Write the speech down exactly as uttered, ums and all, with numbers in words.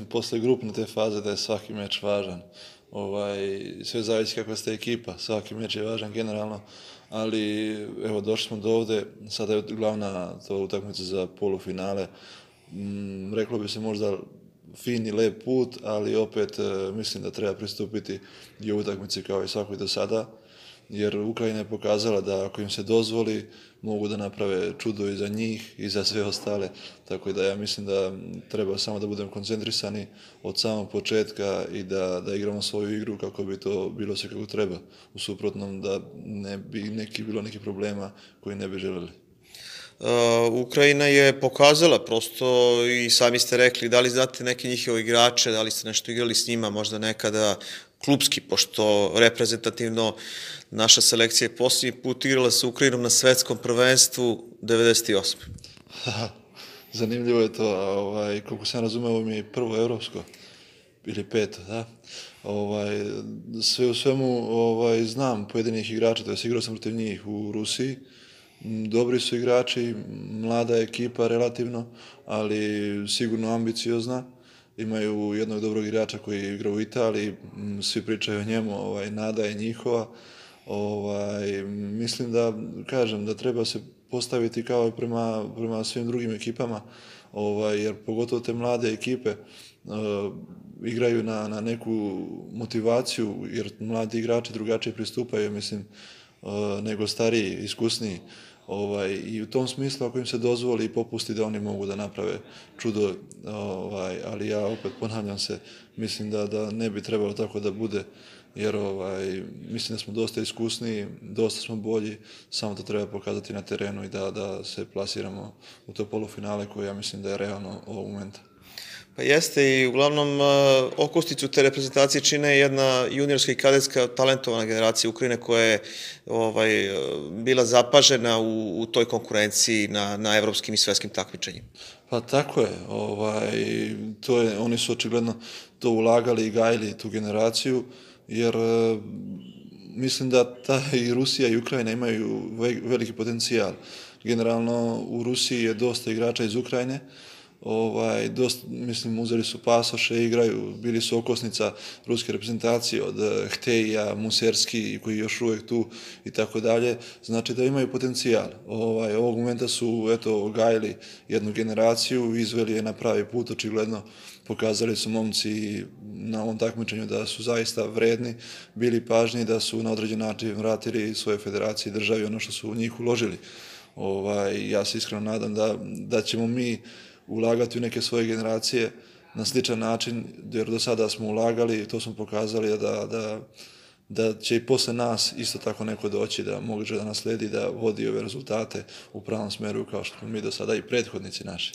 posle grupne te faze da je svaki meč važan. Ovaj, sve zavisi kakva ste ekipa, svaki meč je važan generalno, ali evo došli smo do ovde, sada je glavna to utakmica za polufinale. Mm, reklo bi se možda fin i lep put, ali opet e, mislim da treba pristupiti i u utakmici kao i svakoj do sada, jer Ukrajina je pokazala da ako im se dozvoli mogu da naprave čudo i za njih i za sve ostale, tako da ja mislim da treba samo da budemo koncentrisani od samog početka i da, da igramo svoju igru kako bi to bilo sve kako treba, u suprotnom da ne bi neki, bilo neki problema koji ne bi želeli. Uh, Ukrajina je pokazala prosto i sami ste rekli, da li znate neke njihove igrače, da li ste nešto igrali s njima, možda nekada klupski, pošto reprezentativno naša selekcija je posljednji put igrala sa Ukrajinom na svetskom prvenstvu devedeset osme. Zanimljivo je to, a ovaj, koliko sam razumeo, ovo mi je prvo evropsko, ili peto, da? Ovaj, sve u svemu ovaj, znam pojedinih igrača, to je igrao sam protiv njih u Rusiji. Dobri su igrači, mlada ekipa relativno, ali sigurno ambiciozna. Imaju jednog dobrog igrača koji igra u Italiji, svi pričaju o njemu, ovaj, nada je njihova. Ovaj, mislim da, kažem, da treba se postaviti kao i prema, prema svim drugim ekipama, ovaj, jer pogotovo te mlade ekipe uh, igraju na, na neku motivaciju, jer mladi igrači drugačije pristupaju, mislim, uh, nego stariji, iskusniji. Ovaj, I u tom smislu, ako im se dozvoli i popusti, da oni mogu da naprave čudo, ovaj, ali ja opet ponavljam se, mislim da, da ne bi trebalo tako da bude, jer ovaj, mislim da smo dosta iskusniji, dosta smo bolji, samo to treba pokazati na terenu i da, da se plasiramo u to polufinale koje ja mislim da je realno ovog momenta. Pa jeste i uglavnom okosnicu te reprezentacije čine jedna juniorska i kadetska talentovana generacija Ukrajine koja je ovaj, bila zapažena u, u toj konkurenciji na, na evropskim i svetskim takmičenjima. Pa tako je, ovaj, to je, oni su očigledno to ulagali i gajili tu generaciju, jer mislim da ta i Rusija i Ukrajina imaju veliki potencijal. Generalno u Rusiji je dosta igrača iz Ukrajine, ovaj, dosta, mislim, uzeli su pasoše, igraju, bili su okosnica ruske reprezentacije od Hteja, Muserski, koji je još uvek tu i tako dalje, znači da imaju potencijal. Ovaj, ovog momenta su, eto, gajili jednu generaciju, izveli je na pravi put, očigledno pokazali su momci na ovom takmičenju da su zaista vredni, bili pažnji, da su na određen način vratili svoje federacije i državi ono što su u njih uložili. Ovaj, ja se iskreno nadam da, da ćemo mi ulagati u neke svoje generacije na sličan način, jer do sada smo ulagali i to smo pokazali da, da, da će i posle nas isto tako neko doći da može da nasledi, da vodi ove rezultate u pravom smeru kao što smo mi do sada i prethodnici naši.